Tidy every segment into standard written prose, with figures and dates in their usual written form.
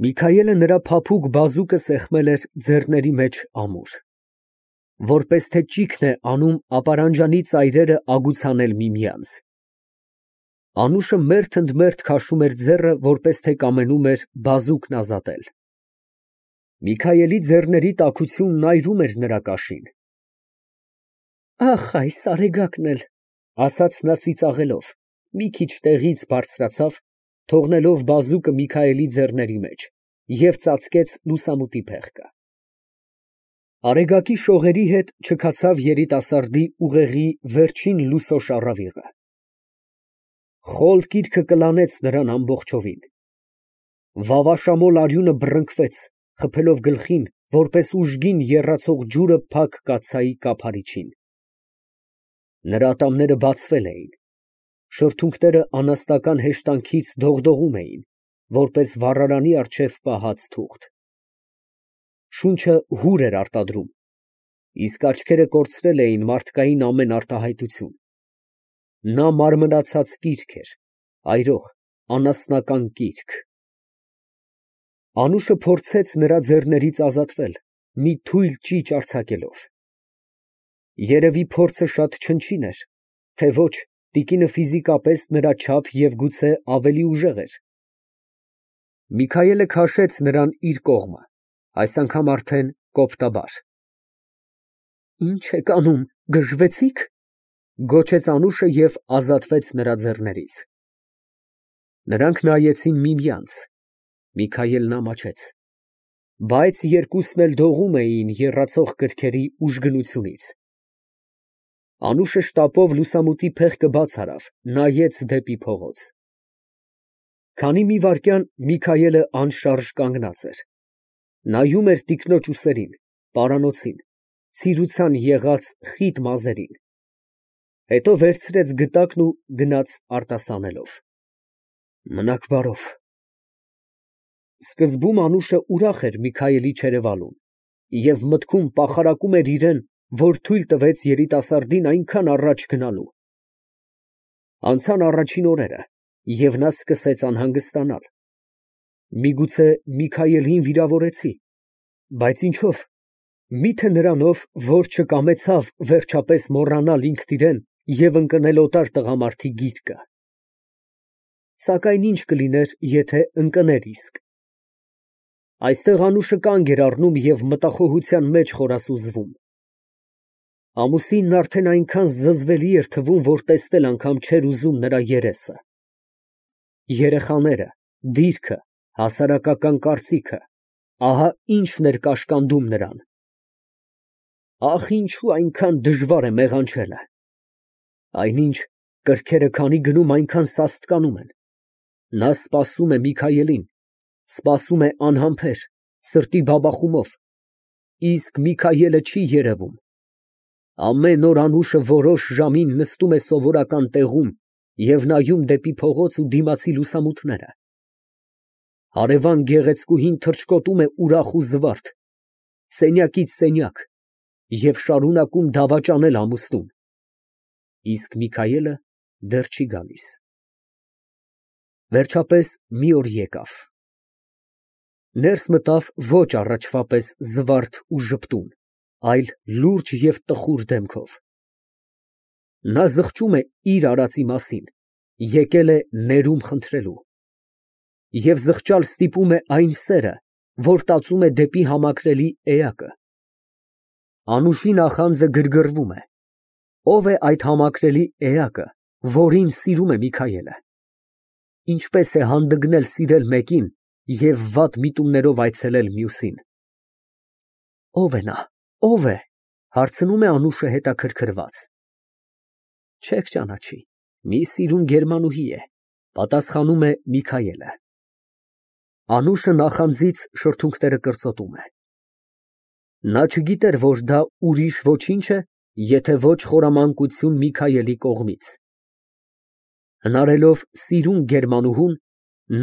Միքայելը նրա փափուկ բազուկը սեղմել էր ձեռների մեջ ամուր, որպես թե ճիգն է անում ապարանջանի ծայրերը ագուցանել միմյանց։ Անուշը մերթ ընդ մերթ քաշում էր ձեռը, որպես թե կամենում էր բազուկն ազատել։ Միքայելի ձեռների տաքությունն այրում էր նրա կաշին։ Ախ, այս արեգակն էլ, ասաց նա ծիծաղելով, մի քիչ տեղից բարձրացավ, թողնելով բազուկը Միքայելի ձեռների մեջ, և ծածկեց լուսամուտի փեղկը։ Արեգակի շողերի հետ չքացավ երիտասարդի ուղեղի վերջին լուսո շառավիղը։ Խոլ կիրքը կլանեց նրան ամբողջովին։ Վավաշամոլ արյունը բռնկվեց, խփելով գլխին, որպես ուժգին եռացող ջուրը փակ կաթսայի կափարիչին։ Նրա ատամները բացվել էին, շրթունքները անաստական հեշտանքից դողդողում էին, որպես վառարանի առջև պահած թուղթ։ Շունչը հուր էր արտադրում, իսկ աչքերը կորցրել էին մարդկային ամեն արտահայտություն։ Նա մարմնացած կիրք էր, այրող, անասնական կիրք։ Անուշը փորձեց նրա ձեռներից ազատվել, մի թույլ ճիճ արձակելով։ Երևի փորձը շատ չնչին էր, թե ոչ, տիկինը ֆիզիկապես նրա չափ և գուցե ավելի ուժեղ էր։ Միքայելը քաշեց նրան իր կողմը, այս անգամ արդեն կոպտաբար։ Ի՞նչ եք անում, գժվեցի՞ք, գոչեց Անուշը և ազատվեց նրա ձեռներից։ Նրանք նայեցին միմյանց, Միքայելն ամաչեց, բայց երկուսն էլ դողում էին եռացող կրքերի ուժգնությունից։ Անուշը շտապով լուսամուտի փեղկը բաց արավ, նայեց դեպի փողոց։ Քանի մի վայրկյան Միքայելը անշարժ կանգնած էր, նայում էր տիկնոջ ուսերին, պարանոցին, ցիրուցան եղած խիտ մազերին, հետո վերցրեց գդակն ու գնաց արտասանելով։ Մնաք բարով։ Սկզբում Անուշը ուրախ էր Միքայելի չերևալուն և մտքում պախարակում էր իրան, որ թույլ տվեց երիտասարդին այնքան առաջ գնալու։ Անցան առաջին օրերը, և նա սկսեց անհանգստանալ։ Միգուցե Միքայելին վիրավորեցի, բայց ինչո՞վ, մի՞թե նրանով, որ չկամեցավ վերջապես մոռանալ ինքն իրան և ընկնել օտար տղամարդի գիրկը։ Սակայն ի՞նչ կլիներ, եթե ընկներ իսկ։ Այստեղ Անուշը կանգ էր առնում և մտախոհության մեջ խորասուզվում։ Ամուսինն արդեն այնքան զզվելի էր թվում, որ տեսնել անգամ չէր ուզում նրա երեսը։ Երեխաները, դիրքը, հասարակական կարծիքը, ահա ինչն էր կաշկանդում նրան։ Ախ, ինչու այնքան դժվար է մեղանչելը։ Այնինչ, կրքերը քանի գնում, այնքան սաստկանում են։ Նա սպասում է Միքայելին, սպասում է անհամբեր, սրտի բաբախումով, իսկ Միքայելը չի երևում։ Ամեն օր Անուշը որոշ ժամին նստում է սովորական տեղում և նայում դեպի փողոց ու դիմացի լուսամուտները։ Հարևան գեղեցկուհին թռչկոտում է ուրախ ու զվարթ, սենյակից սենյակ և շարունակում դավաճանել ամուսնուն, իսկ Միքայելը դեռ չի գալիս։ Վերջապես մի օր եկավ։ Ներս մտավ ոչ առաջվա պես զվարթ ու ժպտուն, այլ լուրջ և տխուր դեմքով։ Նա զղջում է իր արածի մասին, եկել է ներում խնդրելու։ Եվ զղջալ ստիպում է այն սերը, որ տածում է դեպի համակրելի էակը։ Անուշի նախանձը գրգռվում է։ Ո՞վ է այդ համակրելի էակը, որին սիրում է Միքայելը։ Ինչպես է հանդգնել սիրել մեկին և վատ միտումներով այցելել մյուսին։ Ո՞վ է նա, ո՞վ է, հարցնում է Անուշը հետաքրքրված։ Չեք ճանաչի, մի սիրուն գերմանուհի է, պատասխանում է Միքայելը։ Անուշը նախանձից շրթունքները կրծոտում է։ Նա չգիտեր, որ դա ուրիշ ոչինչ է, եթե ոչ խորամանկություն Միքայելի կողմից։ Հնարելով սիրուն գերմանուհուն,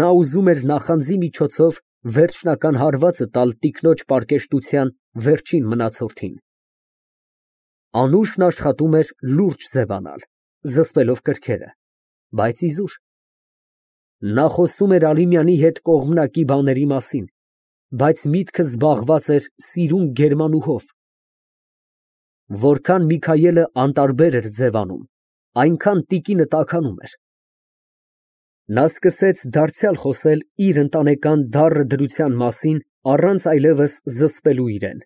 նա ուզում էր նախանձի միջոցով վերջնական հարվածը տալ տիկնոջ պարկեշտության վերջին մնացորդին։ Անուշն աշխատում էր լուրջ ձևանալ, զսպելով կրքերը, բայց իզուր։ Նա խոսում էր Ալիմյանի հետ կողմնակի բաների մասին, բայց միտքը զբաղված էր սիրուն գերմանուհով։ Որքան Միքայելը անտարբեր էր ձևանում, այնքան տիկինը տաքանում էր։ Նա սկսեց դարձյալ խոսել իր ընտանեկան դառը դրության մասին, առանց այլևս զսպելու իրեն։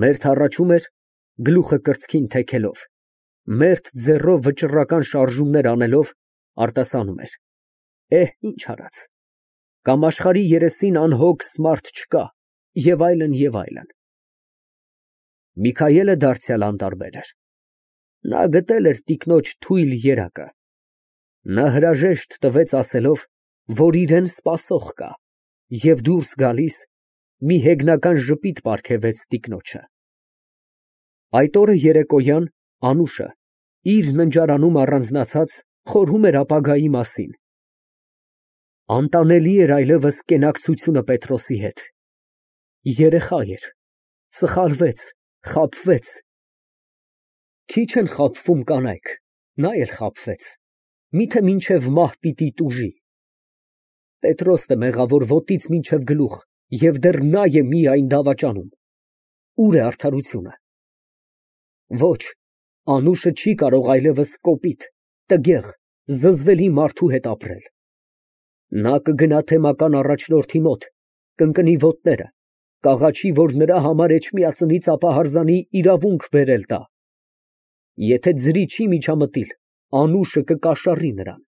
Մերթ հառաչում էր, գլուխը կրծքին թեքելով, մերթ ձեռով վճռական շարժումներ անելով արտասանում էր. ինչ արած, կամ աշխարհի երեսին անհոգ մարդ չկա, և այլն, և այլն։ Միքայելը դարձյալ անտարբեր էր։ Նա գտել էր տիկնոջ թույլ երակը։ Նա հրաժեշտ տվեց ասելով, որ իրեն սպասող կա, և դուրս գալիս մի հեգնական ժպիտ պարգևեց տիկնոջը։ Այդ օրը երեկոյան Անուշը, իր ննջարանում առանձնացած, խորհում էր ապագայի մասին։ Անտանելի էր այլևս կենակցությունը Պետրոսի հետ։ Երեխա էր, սխալվեց, խաբվեց։ Քիչ են խաբվում կանայք, նա էլ խաբվեց, միթե մինչև մահ պիտի տուժի։ Պետրոսն է մեղավոր ոտքից մինչև գլուխ, և դեռ նա է միայն դավաճանում։ Ուր է արդարությունը։ Ոչ, Անուշը չի կարող այլևս կոպիտ, տգեղ, զզվելի մարդու հետ ապրել։ Նա կգնա թեմական առաջնորդի մոտ, կընկնի ոտները, կաղաչի, որ նրա համար Էջմիածնից ապահարզանի իրավունք բերել տա։ Եթե ձրի չի միջամտիլ, Անուշը կկաշառի նրան։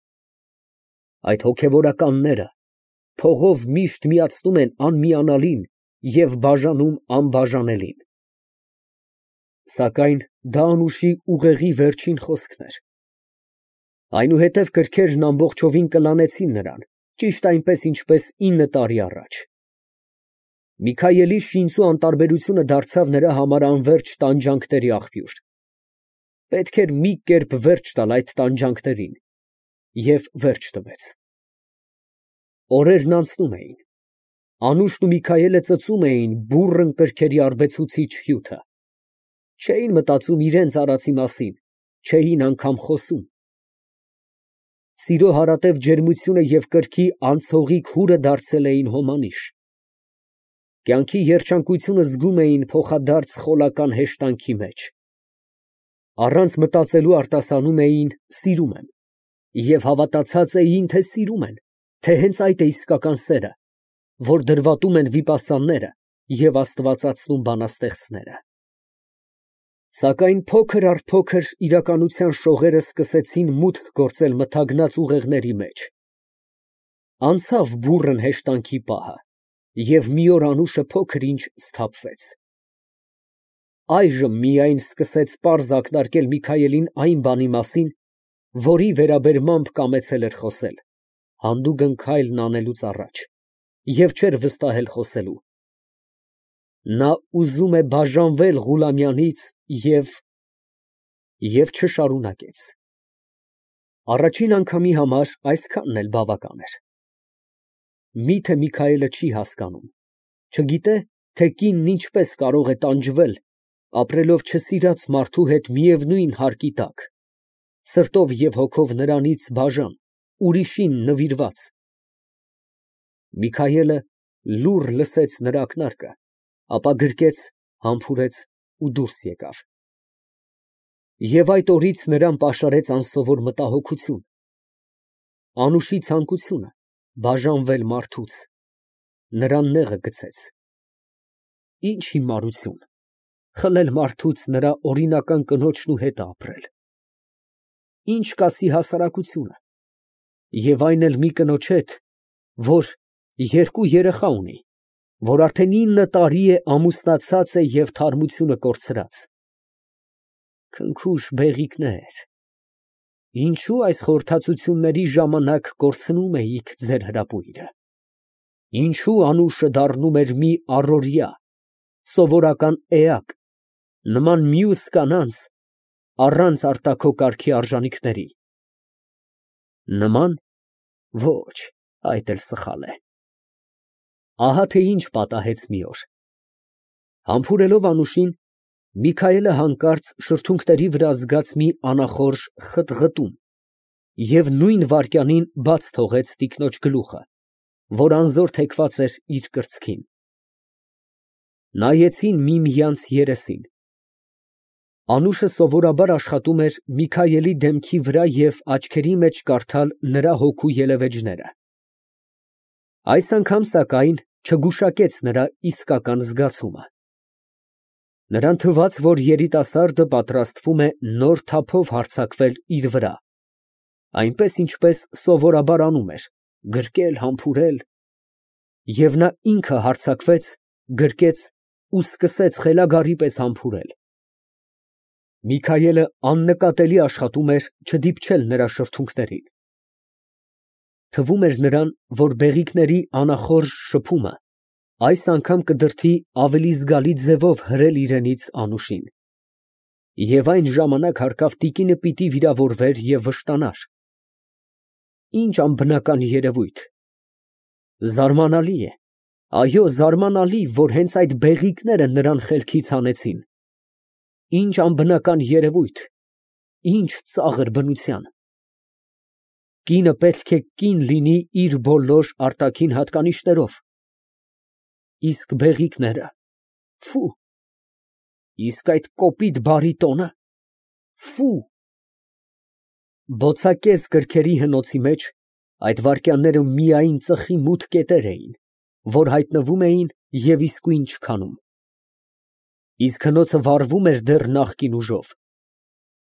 Այդ հոգևորականները փողով միշտ միացնում են անմիանալին և բաժանում անբաժանելին։ Սակայն դա Անուշի ուղեղի վերջին խոսքն էր։ Այնուհետև կրքերն ամբողջովին կլանեցին նրան, ճիշտ այնպես, ինչպես 9 տարի առաջ։ Միքայելի շինծու անտարբերությունը դարձավ նրա համար անվերջ տանջանքների աղբյուր։ Պետք էր մի կերպ վերջ տալ այդ տանջանքներին, և վերջ տվեց։ Օրերն անցնում էին։ Անուշն ու Միքայելը ծծում էին բուռն կրքերի արբեցուցիչ հյութը։ Չէին մտածում իրենց արածի մասին, չէին անգամ խոսում։ Սիրո հարատև ջերմությունը և կրքի անցողիկ հուրը դարձել էին հոմանիշ։ Կյանքի երջանկությունը զգում էին փոխադարձ խոլական հեշտանքի մեջ։ Առանց մտածելու արտասանում էին սիրում եմ և հավատացած էին, թե սիրում են, թե հենց այդ է իսկական սերը, որ դրվատում են վիպասանները և աստվածացնում բանաստեղծները։ Սակայն փոքր առ փոքր իրականության շողերը սկսեցին մուտք գործել մթագնած ուղեղների մեջ։ Անցավ բուռն հեշտանքի պահը, և մի օր Անուշը փոքր-ինչ սթափվեց։ Այժմ միայն սկսեց պարզ ակնարկել Միքայելին այն բանի մասին, որի վերաբերմամբ կամեցել էր խոսել, հանդուգն քայլն անելուց առաջ, և չէր վստահել խոսելու։ Նա ուզում է բաժանվել Ղուլամյանից և չշարունակեց։ Առաջին անգամի համար այսքանն էլ բավական էր։ Միթե Միքայելը չի հասկանում, չգիտե, թե կինն ինչպես կարող է տանջվել, ապրելով չսիրած մարդու հետ միևնույն հարկի տակ, սրտով և հոգով նրանից բաժան, ուրիշին նվիրված։ Միքայելը լուռ լսեց նրա ակնարկը, ապա գրկեց, համբուրեց ու դուրս եկավ։ Եվ այդ օրից նրան պաշարեց անսովոր մտահոգություն, Անուշի ցանկությունը բաժանվել մարդուց, նրան նեղը գցեց։ Ինչ հիմարություն, խլել մարդուց նրա օրինական կնոջն ու հետ ապրել։ Ինչ կասի հասարակությունը, և այն էլ մի կնոջ հետ, որ 2 երեխա ունի, որ արդեն 9 տարի է ամուսնացած է և թարմությունը կորցրած։ Քնքուշ բեղիկներ, ինչո՞ւ այս խորհրդածությունների ժամանակ կորցնում էիք ձեր հրապույրը։ Ինչո՞ւ Անուշը դառնում էր մի առօրյա, սովորական էակ, նման մյուս կանանց, առանց արտաքո կարգի արժանիքների։ Նման, ոչ, այդ էլ սխալ է։ Ահա թե ինչ պատահեց մի օր։ Համբուրելով Անուշին, Միքայելը հանկարծ շրթունքների վրա զգաց մի անախորժ խտղտում և նույն վայրկյանին բաց թողեց տիկնոջ գլուխը, որ անզոր թեքված էր իր կրծքին։ Նայեցին միմյանց երեսին։ Անուշը սովորաբար աշխատում էր Միքայելի դեմքի վրա և աչքերի մեջ կարդալ նրա հոգու ելևէջները։ Այս անգամ, սակայն, չգուշակեց նրա իսկական զգացումը։ Նրան թվաց, որ երիտասարդը պատրաստվում է նոր թափով հարձակվել իր վրա, այնպես, ինչպես սովորաբար անում էր, գրկել, համբուրել, և նա ինքը հարձակվեց, գրկեց ու սկսեց խելագարի պես համբուրել։ Միքայելը աննկատելի աշխատում էր չդիպչել նրա շրթունքներին։ Թվում էր նրան, որ բեղիկների անախորժ շփումը այս անգամ կդրդի ավելի զգալի ձևով հրել իրենից Անուշին, և այն ժամանակ հարկավ տիկինը պիտի վիրավորվեր և վշտանար։ Ինչ անբնական երևույթ։ Զարմանալի է, այո, զարմանալի, որ հենց այդ բեղիկները նրան խելքից հանեցին։ Ինչ անբնական երևույթ, ինչ ծաղր բնության։ Կինը պետք է կին լինի իր բոլոր արտաքին հատկանիշներով, իսկ բեղիկները… Ֆի, իսկ այդ կոպիտ բարի տոնը… Ֆի… Բոցակեզ կրքերի հնոցի մեջ այդ վայրկյանները միայն ծխի մութ կետեր էին, որ հայտնվում էին և իսկույն չքանում։ Իսկ հնոցը վառվում էր դեռ նախկին ուժով,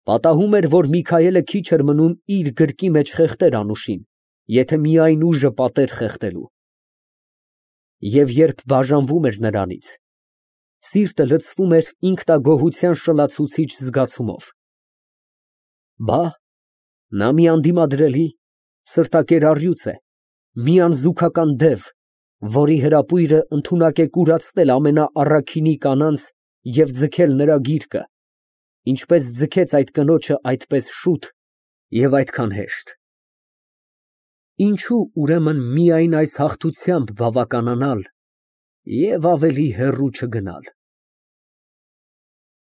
պատահում էր, որ Միքայելը քիչ էր մնում իր գրկի մեջ խեղդեր Անուշին, եթե միայն ուժը պատեր խեղդելու։ Եվ երբ բաժանվում էր նրանից, սիրտը լցվում էր ինքնագոհության շլացուցիչ զգացումով։ Բա, նա մի անդիմադրելի, սրտակեր առյուծ է, մի անզուգական դև, որի հրապույրը ընդունակ է կուրացնել ամենաառաքինի կանանց և ձգել նրա գիրկը, ինչպես ձգեց այդ կնոջը այդպես շուտ և այդքան հեշտ։ Ինչո՞ւ, ուրեմն, միայն այս հաղթությամբ բավականանալ և ավելի հեռու չգնալ։